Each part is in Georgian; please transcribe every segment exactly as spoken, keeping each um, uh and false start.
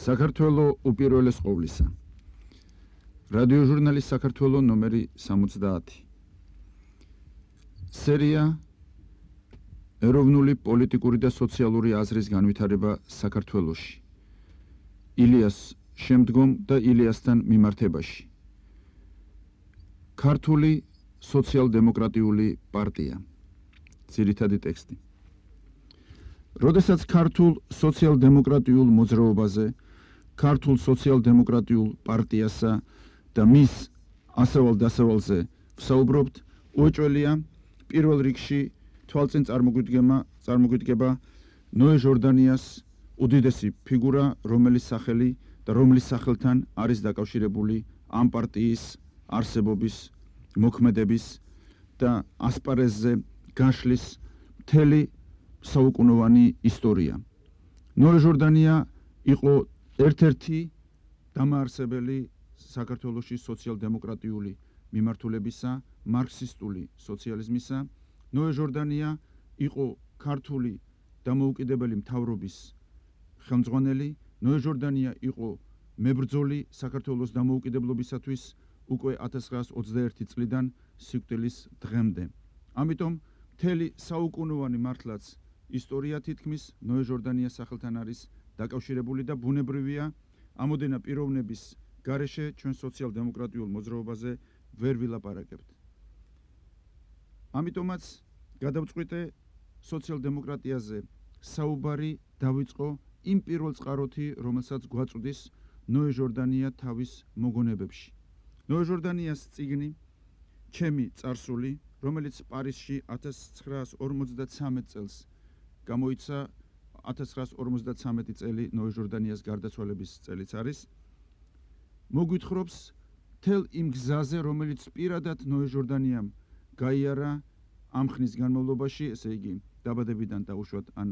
საქართველო უპირველეს ყოვლისა. რადიო ჟურნალის საქართველო ნომერი სამოცდაათი. სერია ეროვნული პოლიტიკური და სოციალური აზრის განვითარება საქართველოში. ილიას შემდგომ და ილიასთან მიმართებაში. ქართული სოციალ-დემოკრატიული პარტია. ძირითადი ტექსტი. როდესაც ქართულ სოციალ-დემოკრატიულ მოძრაობაზე, ქართულ სოციალ-დემოკრატიულ პარტიასა და მის ასავალ-დასავალზე ვსაუბრობთ, უეჭველია პირველ რიგში თვალწინ წარმოგვიდგება წარმოგვიდგება ნოე ჟორდანიას უდიდესი ფიგურა, რომლის სახელი და რომლის სახელთან არის დაკავშირებული ამ პარტიის არსებობის, მოქმედების და ასპარეზზე გაშლის მთელი საუკუნოვანი ისტორია. ნოე ჟორდანია იყო ერთ-ერთი დამაარსებელი საქართველოში სოციალ-დემოკრატიული მიმართულებისა, მარქსისტული სოციალიზმისა. ნოე ჟორდანია იყო ქართული დამოუკიდებელი მთავრობის ხელმძღვანელი. ნოე ჟორდანია იყო მებრძოლი საქართველოს დამოუკიდებლობისათვის უკვე ათას ცხრაას ოცდაერთი წლიდან სიკვდილის დღემდე. ამიტომ მთელი საუკუნოვანი მართლაც ისტორია თითქმის ნოე ჟორდანიას სახელთან არის დაკავშირებული და ბუნებრივია ამოდენა პიროვნების გარეშე ჩვენ სოციალ-დემოკრატიულ მოძრაობაზე ვერ ვილაპარაკებთ. ამიტომაც გადავწყვიტე სოციალ-დემოკრატიაზე საუბარი დავიწყო იმ პირველ წყაროთი, რომელსაც გვაწვდის ნოე ჟორდანია თავის მოგონებებში. ნოე ჟორდანიას წიგნი ჩემი წარსული, რომელიც პარიზში ათას ცხრაას ორმოცდათვრამეტ წელს გამოიცა, ათას ცხრაას ორმოცდათვრამეტი წელი ნოე ჟორდანიას გარდაცვალების წელიც არის, მოგვითხრობს მთელ იმ გზაზე, რომელიც პირადად ნოე ჟორდანიამ გაიარა ამ ხნის განმავლობაში, ესე იგი დაბადებიდან და უშუალოდ ან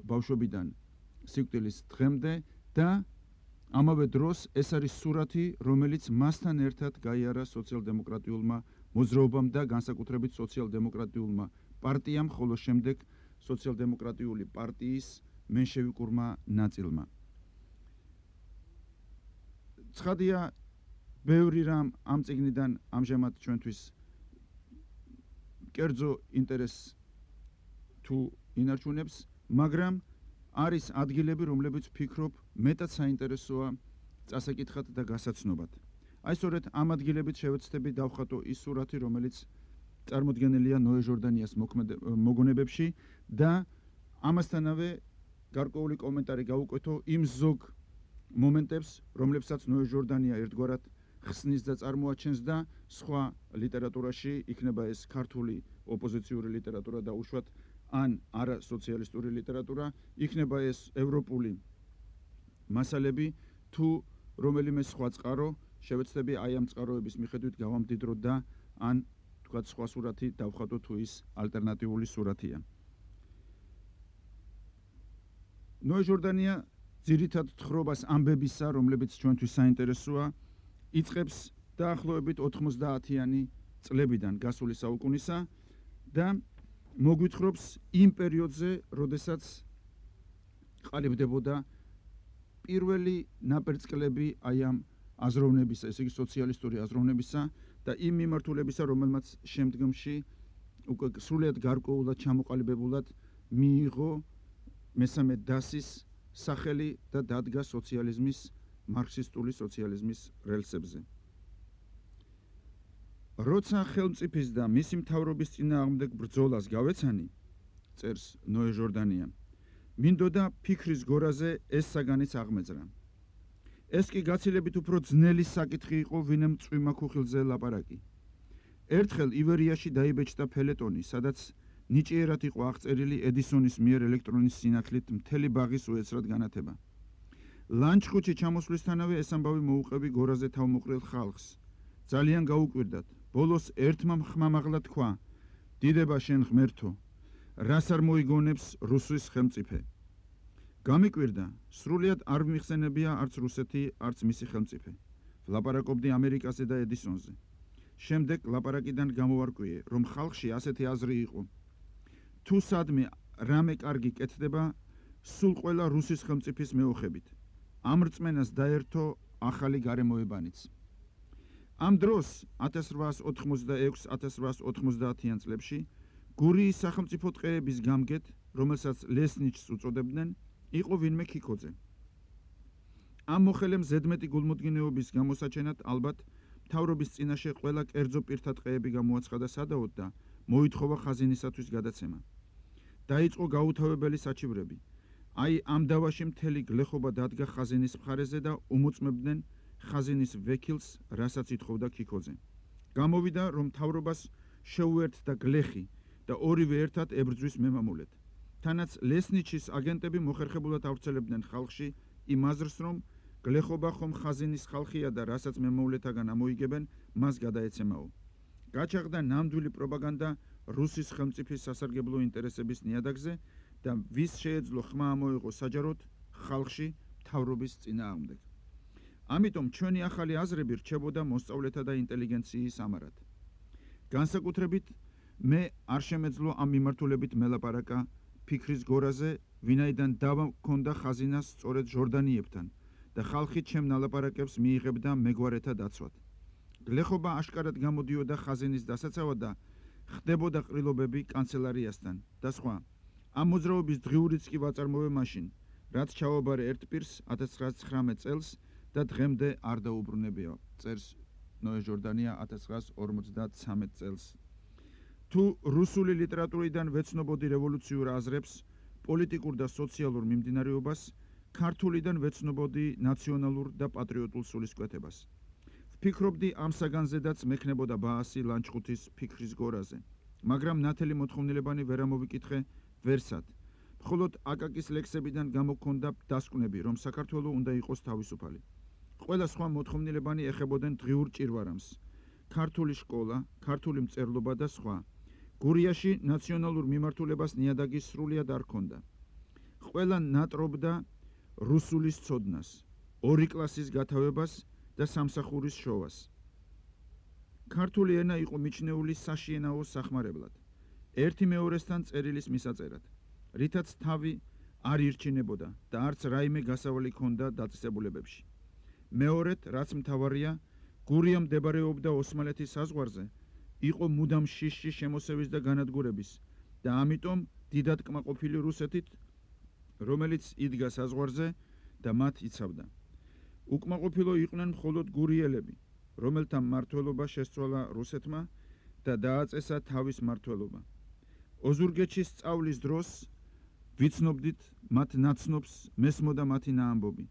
ბავშვობიდან სიკვდილის დღემდე და ამავე დროს ეს არის სურათი, რომელიც მასთან ერთად გაიარა სოციალ-დემოკრატიულმა მოძრაობამ და განსაკუთრებით სოციალ-დემოკრატიულმა პარტიამ, ხოლო შემდეგ სოციალ-დემოკრატიული პარტიის მენშევიკურმა ნაწილმა. ცხადია, ბევრი რამ ამ წიგნიდან ამჟამად ჩვენთვის კერძო ინტერესს თუ ინარჩუნებს, მაგრამ არის ადგილები, რომლებიც ვფიქრობ მეტად საინტერესოა წასაკითხად და გასაცნობად. აი სწორედ ამ ადგილებით შევეცდები დავხატო ის სურათი, რომელიც წარმოდგენილია ნოე ჟორდანიას მოგონებებში და ამასთანავე გარკვეული კომენტარი გავუკვეთო იმ ზოგ მომენტებს, რომლებსაც ნოე ჟორდანია ერთგვარად ხსნის და წარმოაჩენს და სხვა ლიტერატურაში, იქნება ეს ქართული ოპოზიციური ლიტერატურა და უშუალოდ ან არა სოციალისტური ლიტერატურა, იქნება ეს ევროპული მასალები თუ რომელიმე სხვა წყარო, შევეცდები აი ამ წყაროების მიხედვით გავამდიდრო და ან თქვათ სხვა სურათი დავხატო თუ ის ალტერნატიული სურათია. ნოე ჟორდანია ძირითად თხრობას ამბებისა, რომლებიც ჩვენთვის საინტერესოა, იწყებს დაახლოებით ოთხმოცდაათიანი წლებიდან გასული საუკუნისა და მოგვითხრობს იმ პერიოდზე, როდესაც ყალიბდებოდა პირველი ნაპერწკლები აი ამ აზროვნებისა, ესე იგი სოციალისტური აზროვნებისა და იმ მიმართულებისა, რომელმაც შემდგომში უკვე სრულიად გარკვეულად ჩამოყალიბებულად მიიღო მესამე დასის სახელი და დადგა სოციალიზმის, მარქსისტული სოციალიზმის რელსებზე. როცა ხელმწიფის და მისი მთავრობის წინააღმდეგ ბრძოლას გავეცანი, წერს ნოე ჟორდანია, მინდოდა ფიქრის გორაზე ეს საგანიც აღმეძრა. ეს კი გაცილებით უფრო ძნელი საკითხი იყო, ვინმე წვიმა ქუხილზე ლაპარაკი. ერთხელ ივერიაში დაიბეჭდა ფელეტონი, სადაც ნიჭიერად იყო აღწერილი ედისონის მიერ ელექტრონის სინათლით მთელი ბაღის უეცრად განათება. ლანჩხუთში ჩამოსვლისთანავე ეს ამბავი მოუყევი გორაზე თავმოყრილ ხალხს. ძალიან გაუკვირდათ. ბოლოს ერთმა ხმამაღლა თქვა: დიდება შენ ღმერთო, რას არ მოიგონებს რუსის ხელმწიფე. გამიკვირდა, სრულიად არ მიხსენებია არც რუსეთი, არც მისი ხელმწიფე. ვლაპარაკობდი ამერიკაზე და ედისონზე. შემდეგ ლაპარაკიდან გამოვარკვიე, რომ ხალხში ასეთი აზრი იყო. თუ სადმე რამე კარგი კეთდება, სულ ყველა რუსის ხელმწიფის მეოხებით. ამ რწმენას დაერთო ახალი გარემოებანიც. ამ დროს ათას რვაას ოთხმოცდაექვს ათას რვაას ოთხმოცდაათიან წლებში გურიის სახელმწიფო ტყეების გამგედ, რომელსაც ლესნიჩს უწოდებდნენ, იყო ვინმე ქიქოძე. ამ მოხელემ ზედმეტი გულმოდგინეობის გამოსაჩენად ალბათ მთავრობის წინაშე ყველა კერძო პირთა ტყეები გამოაცხადა სადაოდ და მოითხოვა ხაზინისათვის გადაცემა. დაიწყო გაუთავებელი საჩივრები. აი ამ დავაში მთელი გლეხობა დადგა ხაზინის მხარეზე და უმოწმებდნენ ხაზინის ვექილს, რასაც ითხოვდა ქიქოძე. გამოვიდა, რომ მთავრობას შეუერთდა გლეხი და ორივე ერთად ებრძვის მემამულედ. თანაც ლესნიჩის აგენტები მოხერხებულად ავრცელებდნენ ხალხში იმ აზრს, რომ გლეხობა ხომ ხაზინის ხალხია და რასაც მემამულეთაგან ამოიგებენ, მას გადაეცემაო. გაჩაღდა ნამდვილი პროპაგანდა რუსის ხელმწიფის სასარგებლო ინტერესების ნიადაგზე და ვის შეეძლო ხმა ამოიღო საჯაროდ ხალხში მთავრობის წინააღმდეგ. ამიტომ ჩვენი ახალი აზრები რჩებოდა მოსწავლეთა და ინტელიგენციის ამარად. განსაკუთრებით მე არ შემეძლო ამ მიმართულებით მელაპარაკა ფიქრის გორაზე, ვინაიდან დავა მქონდა ხაზინას სწორედ ჟორდანიებთან და ხალხი ჩემ ნალაპარაკებს მიიღებდა მეგვარეთა დაცვად. გლეხობა აშკარად გამოდიოდა ხაზინის დასაცავად და ხდებოდა ყრილობები კანცელარიასთან და სხვა. ამ მოძრაობის დღიურიც კი ვაწარმოე მაშინ, რაც ჩავაბარე ერთ პირს ათას ცხრაას ცხრამეტ წელს და დღემდე არ დაუბრუნებია. წერს ნოე ჟორდანია ათას ცხრაას ორმოცდათვრამეტ წელს. თუ რუსული ლიტერატურიდან ვეცნობოდი რევოლუციურ აზრებს, პოლიტიკურ და სოციალურ მიმდინარეობას, ქართულიდან ვეცნობოდი ნაციონალურ და პატრიოტულ სულისკვეთებას. ვფიქრობდი ამ საგანზედაც მექნებოდა ბაასი ლანჩხუთის ფიქრის გორაზე, მაგრამ ნათელი მოთხოვნილებანი ვერ ამოვიკითხე ვერსად. მხოლოდ აკაკის ლექსებიდან გამოგქონდა დასკვნები, რომ საქართველო უნდა იყოს თავისუფალი. ყველა სხვა მოთხოვნილებანი ეხებოდნენ დღიურ ჭირვარამს, ქართული სკოლა, ქართული მწერლობა და სხვა. გურიაში ნაციონალურ მიმართულებას ნიადაგი სრულიად არ ჰქონდა. ყველა ნატრობდა რუსულის ცოდნას, ორი კლასის გათავებას და სამსახურის შოვას. ქართული ენა იყო მიჩნეული საშიენაო სახმარებლად, ერთი მეორესთან წერილის მისაწერად, რითაც თავი არ ირჩინებოდა და არც რაიმე გასავალი ჰქონდა დაწესებულებებში. მეორედ, რაც მთავარია, გურია მდებარეობდა ოსმალეთის საზღვარზე, იყო მუდამ შიშში შემოსევის და განადგურების და ამიტომ დიდად კმაყოფილი რუსეთით, რომელიც იდგა საზღვარზე და მათ იცავდა. უკმაყოფილო იყვნენ მხოლოდ გურიელები, რომელთა მმართველობა შესწვალა რუსეთმა და დააწესა თავის მმართველობა. ოზურგეთში სწავლის დროს ვიცნობდით მათ ნაცნობს, მესმოდა მათი ნაამბობი.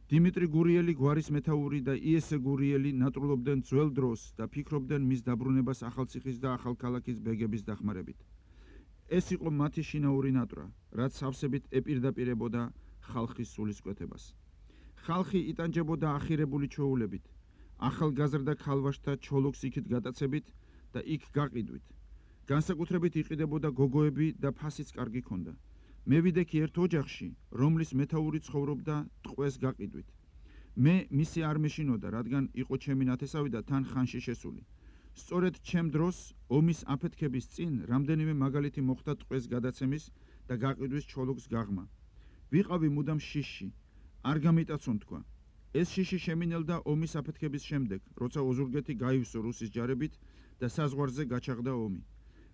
დიმიტრი გურიელი გვარის მეთაური და იესე გურიელი ნატრულობდნენ ძველ დროს და ფიქრობდნენ მის დაბრუნებას ახალციხის და ახალქალაქის ბეგების დახმარებით. ეს იყო მათი შინაური ნატრა, რაც სავსებით ეპირდაპირებოდა ხალხის სულისკვეთებას. ხალხი იტანჯებოდა ახირებული ჩვეულებით, ახალგაზრდა ქალვაშთა ჩოლოქს იქით გატაცებით და იქ გაყიდვით. განსაკუთრებით იყიდებოდა გოგოები და ფასიც კარგი ჰქონდა. მე ვიდექი ერთ ოჯახში, რომლის მეთაური ცხოვრობდა ტყვეს გაყიდვით. მე მისი არ მეშინოდა, რადგან იყო ჩემი ნათესავი და თან ხანში შესული. სწორედ ჩემ დროს ომის აფეთქების წინ რამდენიმე მაგალითი მოხდა ტყვეს გადაცემის და გაყიდვის ჩოლოქს გაღმა. ვიყავი მუდამ შიშში, არ გამიტაცონ თქვა. ეს შიში შემინელდა ომის აფეთქების შემდეგ, როცა ოზურგეთი გაივსო რუსის ჯარებით და საზღვარზე გაჩაღდა ომი.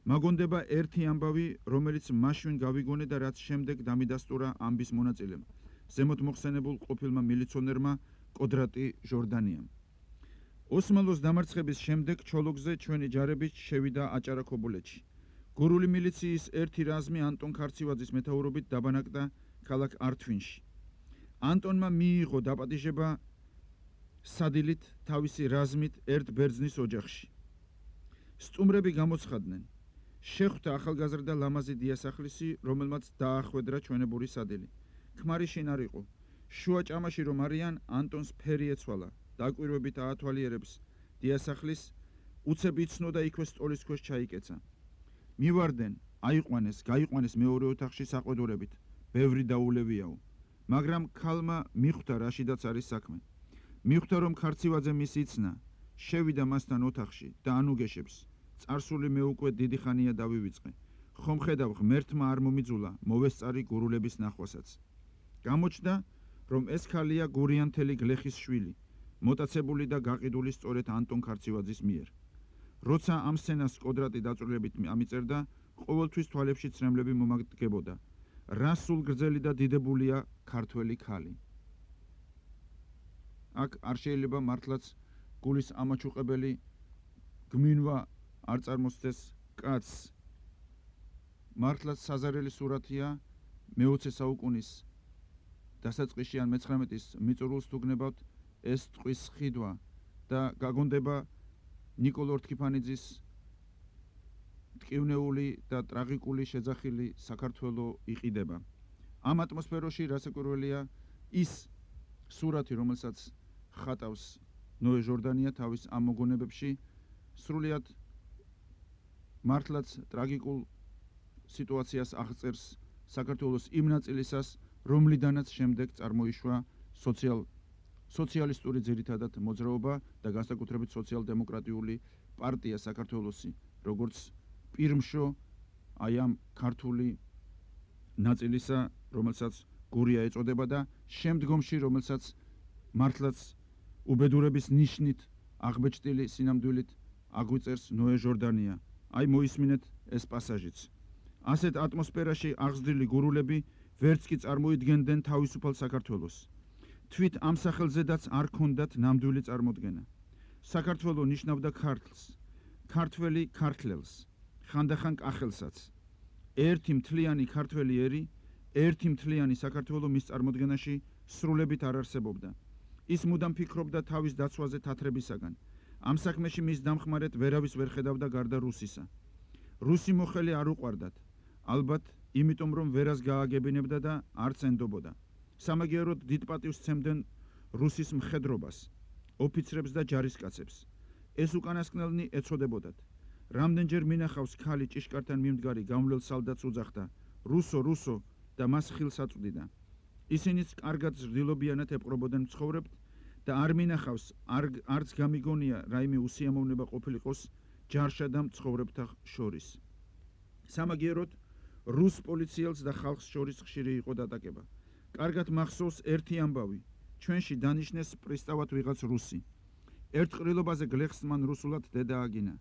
მაგონდება ერთი ამბავი, რომელიც მაშინ გავიგონე და რაც შემდეგ დამიდასტურა ამბის მონაწილემ, ზემოთ მოხსენებულ ყოფილმა მილიციონერმა კოდრატი ჟორდანიამ. ოსმალოს დამარცხების შემდეგ ჩოლოქზე ჩვენი ჯარებით შევიდა აჭარა-ქობულეთში. გურული მილიციის ერთი რაზმი ანტონ ქარცივაძის მეთაურობით დაბანაკდა ქალაქ ართვინში. ანტონმა მიიღო დაპატიჟება სადილით თავისი რაზმით ერთ ბერძნის ოჯახში. სტუმრები გამოცხადდნენ. შეხვდა ახალგაზრდა ლამაზი დიასახლისი, რომელმაც დაახვედრა ჩვენებური სადილი. ქმარი შინ არ იყო. შუა ჭამაში რომ არიან, ანტონს ფერი ეცვალა, დაკვირვებით აათვალიერებს დიასახლის, უცებ იცნო და იქვე სტოლის ქვეშ ჩაიკეცა. მივარდნენ, აიყვანეს, გაიყვანეს მეორე ოთახში საყვედურებით, ბევრი დაულევიაო. მაგრამ ქალმა მიხვდა რაშიდაც არის საქმე. მიხვდა რომ ქარცივაძე მის იცნა, შევიდა მასთან ოთახში და ანუგეშებს. წარსული მე უკვე დიდი ხანია დავივიწყე. ხომ ხედავ ღმერთმა არ მომიძულა, მოვესწარი გურულების ნახვასაც. გამოჩნდა, რომ ეს ქალია გურიანთელი გლეხის შვილი, მოტაცებული და გაყიდული სწორედ ანტონ ქარცივაძის მიერ. როცა ამ სცენას კოდრატი დაწვრილებით ამიწერდა, ყოველთვის თვალებში ცრემლები მომაგდებოდა. რა სულ გრძელი და დიდებულია ქართველი ქალი. აქ არ შეიძლება მართლაც გულის ამაჩუყებელი გმინვა არ წარმოსცეს კაცს. მართლაც საზარელი სურათია მეოცე საუკუნის დასაწყისში ან მეცხრამეტის მიწურულს თუ გნებავთ, ეს ტყვის ხიდვა და გაგონდება ნიკოლო რთქიფანიძის ტკივნეული და ტრაგიკული შეძახილი საქართველო იყიდება. ამ ატმოსფეროში რასაკვირველია ის სურათი, რომელსაც ხატავს ნოე ჟორდანია თავის ამ მოგონებებში, სრულიად მართლაც ტრაგიკულ სიტუაციას აღწერს საქართველოს იმ ნაწილისას, რომლიდანაც შემდეგ წარმოიშვა სოციალ სოციალისტური ძირითადად მოძრაობა და განსაკუთრებით სოციალ-დემოკრატიული პარტია საქართველოსი, როგორც პირმშო აი ამ ქართული ნაწილისა, რომელსაც გურია ეწოდება და შემდგომში, რომელსაც მართლაც უბედურების ნიშნით აღბეჭდილი სინამდვილით აგვიწერს ნოე ჟორდანია. აი მოისმინეთ ეს პასაჟიც. ასეთ ატმოსფეროში აღზრდილი გურულები ვერც კი წარმოიდგენდნენ თავისუფალ საქართველოს. თვით ამ სახელზედაც არ ჰქონდათ ნამდვილი წარმოდგენა. საქართველო ნიშნავდა ქართლს, ქართველი ქართლელს, ხანდახან კახელსაც. ერთი მთლიანი ქართველი ერი, ერთი მთლიანი საქართველო მის წარმოდგენაში სრულებით არ არსებობდა. ის მუდამ ფიქრობდა თავის დაცვაზე თათრებისაგან. ამ საქმეში მის დამხმარედ ვერავის ვერ ხედავდა გარდა რუსისა. რუსი მოხელი არ უყვარდათ, ალბათ იმიტომ რომ ვერას გააგებინებდა და არც ენდობოდა. სამაგიეროდ დიდ პატივს სცემდნენ რუსის მხედრობას, ოფიცრებს და ჯარისკაცებს. ეს უკანასკნელნი ეწოდებოდათ. რამდენჯერ მინახავს ქალი ჭიშკართან მიმდგარი გამვლელ სალდატს უძახდა რუსო, რუსო და მას ხილს აწვდიდა. ისინიც კარგად ზრდილობიანად ეპყრობოდნენ მცხოვრებთ და არ მინახავს, არც გამიგონია რაიმე უსიამოვნება ყოფილიყოს ჯარშა და მცხოვრებთა შორის. სამაგიეროდ რუს პოლიციელს და ხალხს შორის ხშირი იყო დატაკება. კარგად მახსოვს ერთი ამბავი, ჩვენში დანიშნეს პრისტავად ვიღაც რუსი. ერთ ყრილობაზე გლეხს მან რუსულად დედა აგინა.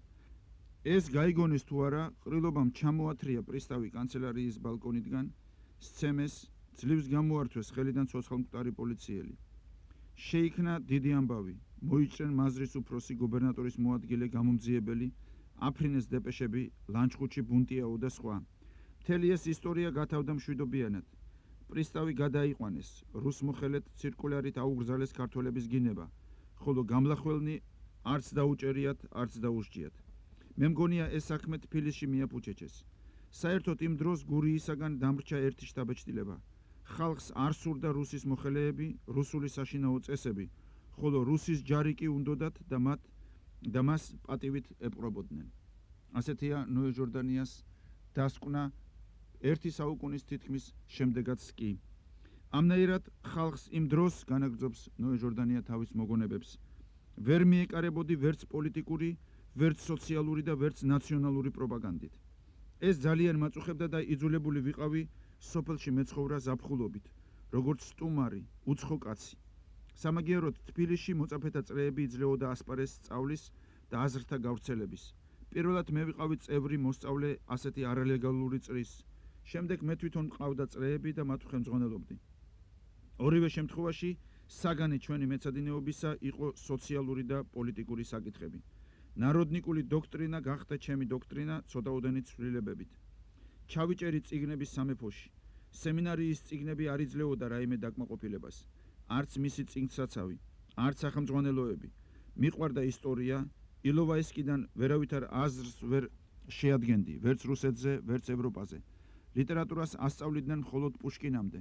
ეს გაიგონეს თუ არა, ყრილობამ ჩამოათრია პრისტავი კანცელარიის ბალკონიდან, სცემეს, ძლივს გამოართვეს ხელიდან ცოცხალმკვდარი პოლიციელი. შეიქმნა დიდი ამბავი, მოიჭრენ მაზრის უფროსი, გუბერნატორის მოადგილე, გამომძიებელი, აფრინეს დეპეშები, ლანჩხუთში ბუნტიაო და სხვა. მთელი ეს ისტორია გათავდა მშვიდობიანად. პრისტავი გადაიყვანეს, რუს მოხელეთ ცირკულარით აუგრძალეს ქართველების გინება, ხოლო გამლახველნი არც დაუჭერიათ, არც დაუსჯიათ. მე მგონია ეს საქმე თბილისში მიაფუჩეჩეს. საერთოდ იმ დროს გურიისაგან დამრჩა ერთი შთაბეჭდილება. ხალხს არ სურდა რუსის მოხელეები, რუსული საშინაო წესები, ხოლო რუსის ჯარი კი უნდოდათ და მათ და მას პატივით ეპყრობოდნენ. ასეთია ნოე ჟორდანიას დასკვნა ერთი საუკუნის თითქმის შემდეგაც კი. ამნაირად ხალხს იმ დროს განაგრძობს ნოე ჟორდანია თავის მოგონებებს. ვერ მიეკარებოდი ვერც პოლიტიკური, ვერც სოციალური და ვერც ნაციონალური პროპაგანდით. ეს ძალიან მაწუხებდა და იძულებული ვიყავი სოფელში მეცხოვრა ზაფხულობით, როგორც სტუმარი, უცხო კაცი. სამაგიეროდ თბილისში მოწაფეთა წრეები იძლეოდა ასპარეს სწავლის და აზრთა გავრცელების. პირველად მე ვიყავი წევრი მოსწავლე ასეთი არალეგალური წრის. შემდეგ მე თვითონ მყავდა წრეები და მათ ხელმძღვანელობდი. ორივე შემთხვევაში საგანი ჩვენი მეცადინეობისა იყო სოციალური და პოლიტიკური საკითხები. ნაროდნიკული დოქტრინა გახდა ჩემი დოქტრინა ცოტაოდენი ცვლილებებით. ჩავიჭერი წიგნების სამეფოში. სემინარიის წიგნები არ იძლეოდა რაიმე დაკმაყოფილებას. არც მისი წიგნსაცავი, არც სახელმძღვანელოები. მიყვარდა ისტორია, ილოვაისკიდან ვერავითარ აზრს ვერ შეადგენდი, ვერც რუსეთზე, ვერც ევროპაზე. ლიტერატურას ასწავლიდნენ მხოლოდ პუშკინამდე.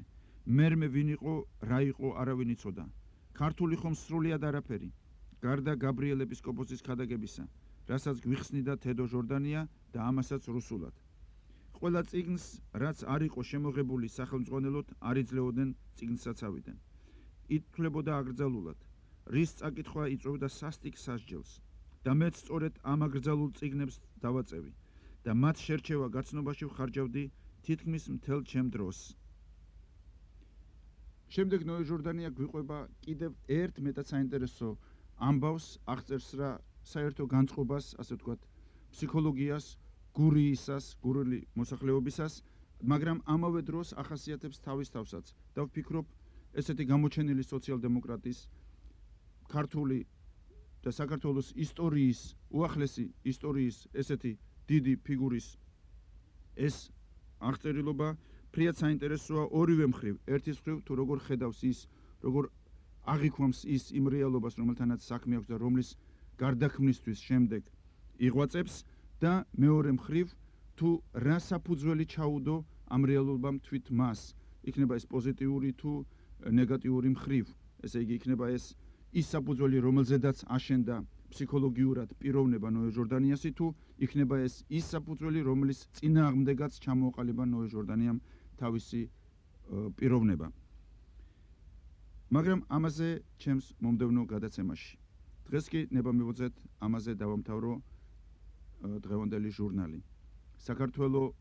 მერმე ვინ იყო, რა იყო, არავინ იცოდა. ქართული ხომ სრულიად არაფერი. გარდა გაბრიელ ეპისკოპოსის ქადაგებისა, რასაც გვიხსნიდა თედო ჟორდანია და ამასაც რუსულად. ყველა წიგნს, რაც არ იყო შემოღებული სახელმძღვანელოდ, არ იძლეოდნენ წიგნსაცავიდან. ითვლებოდა აკრძალულად. რის წაკითხვა იწვევდა სასტიკ სასჯელს და მეც სწორედ ამ აკრძალულ წიგნებს დავაწევი და მათ შერჩევა გაცნობაში ვხარჯავდი თითქმის მთელ ჩემ დროს. შემდეგ ნოე ჟორდანია გვიყვება კიდევ ერთ მეტად საინტერესო ამბავს, აღწერს რა საერთო განწყობას, ასე ვთქვათ, ფსიქოლოგიას, გურიისას, გურული მოსახლეობისას, მაგრამ ამავე დროს ახასიათებს თავის თავსაც. და ვფიქრობ, ესეთი გამოჩენილი სოციალ-დემოკრატის ქართული და საქართველოს ისტორიის, უახლესი ისტორიის ესეთი დიდი ფიგურის ეს აღწერილობა ფრიად საინტერესოა ორივე მხრივ. ერთის მხრივ თუ როგორ ხედავს ის, როგორ აღიქვამს ის იმ რეალობას, რომელთანაც საქმე აქვს და რომლის გარდაქმნისთვის შემდეგ იღვაწებს და მეორე მხრივ თუ რა საფუძველი ჩაუდო ამ რეალობამ თვით მას. იქნება ეს პოზიტიური თუ ნეგატიური მხრივ. ესე იგი იქნება ეს ის საფუძველი, რომელზედაც აშენდა ფსიქოლოგიურად პიროვნება ნოე ჟორდანიასი თუ იქნება ეს ის საფუძველი, რომლის წინააღმდეგაც ჩამოაყალიბა ნოე ჟორდანიამ თავისი პიროვნება. მაგრამ ამაზე ჩემს მომდევნო გადაცემაში. დღეს კი ნება მივუძეთ ამაზე დავამთავრო დღევანდელი ჟურნალი. საქართველოს